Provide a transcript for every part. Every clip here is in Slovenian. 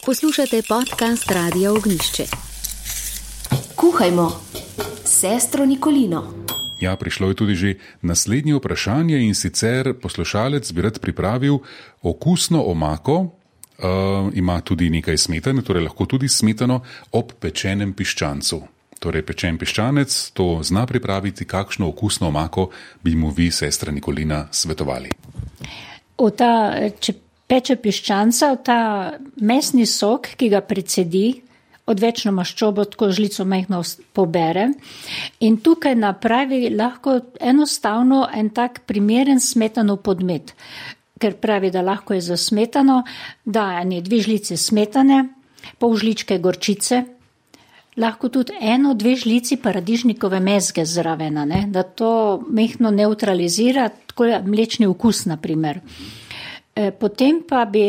Poslušate podcast Radia Ognjišče. Kuhajmo, sestro Nikolino. Ja, prišlo je tudi že naslednje vprašanje in sicer poslušalec bi rad pripravil okusno omako, ima tudi nekaj smetane, torej lahko tudi smetano ob pečenem piščancu. Torej pečen piščanec to zna pripraviti, kakšno okusno omako bi mu vi, sestra Nikolina, svetovali? Če peče piščanca, ta mesni sok, ki ga precedi, odvečno maščobo, tako žlico majhno pobere in tukaj napravi lahko enostavno en tak primeren smetanov podmet, ker pravi, da lahko je za smetano, da ene 2 žlice smetane, pol žličke gorčice, lahko tudi 1-2 žlici paradižnikove mezge zraven, da to majhno neutralizira, tako mlečni okus, na primer. Potem pa bi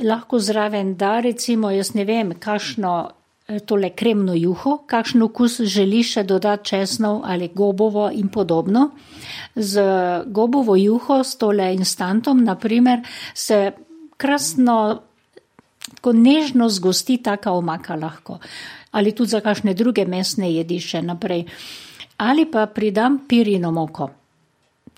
lahko zraven recimo, jaz ne vem, kakšno tole kremno juho, kakšen okus želi še dodati česnov ali gobovo in podobno. Z gobovo juho, s tole instantom, na primer, se krasno, tako nežno zgosti taka omaka lahko. Ali tudi za kakšne druge mesne jedi še naprej. Ali pa pridam pirino moko.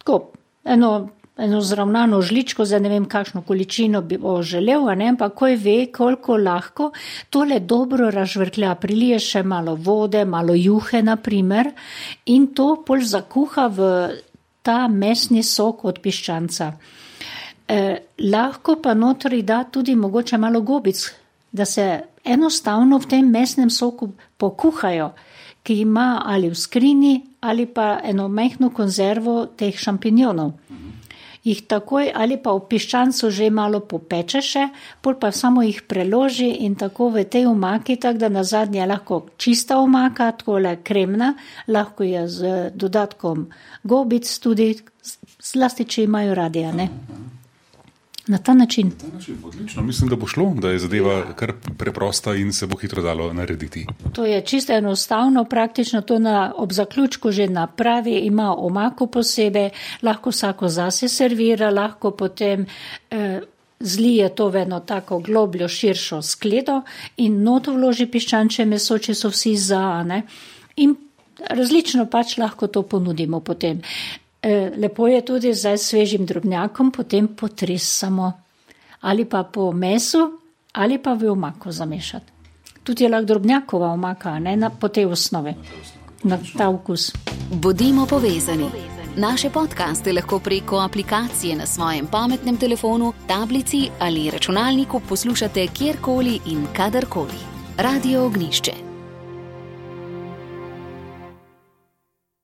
Tako, eno zravnano žličko, za ne vem kakšno količino bi želel, ampak ko ve, koliko lahko, tole dobro razžvrklja, prilije še malo vode, malo juhe, na primer, in to pol zakuha v ta mesni sok od piščanca. Lahko pa notri da tudi mogoče malo gobic, da se enostavno v tem mesnem soku pokuhajo, ki ima ali v skrini, ali pa eno majhno konzervo teh šampinjonov. Jih takoj ali pa v piščancu že malo popeče še, pol pa samo jih preloži in tako v tej omaki, tako da nazadnje lahko čista omaka, takole kremna, lahko je z dodatkom gobic tudi, zlasti če imajo radi, ne? Na ta način. Odlično, mislim, da bo šlo, da je zadeva kar preprosta in se bo hitro dalo narediti. To je čisto enostavno, praktično to ob zaključku že napravi, ima omako posebej, lahko vsako zase servira, lahko potem zlije to v eno tako globljo, širšo skledo in noto vloži piščančje meso, če so vsi za, ne? In različno pač lahko to ponudimo potem. Lepo je tudi z svežim drobnjakom, potem potresamo ali pa po mesu ali pa v omako zamešati. Tudi je lahko drobnjakova omaka, ne, po tej osnovi, na ta okus. Bodimo povezani. Naše podcaste lahko preko aplikacije na svojem pametnem telefonu, tablici ali računalniku poslušate kjerkoli in kadarkoli. Radio Ognjišče.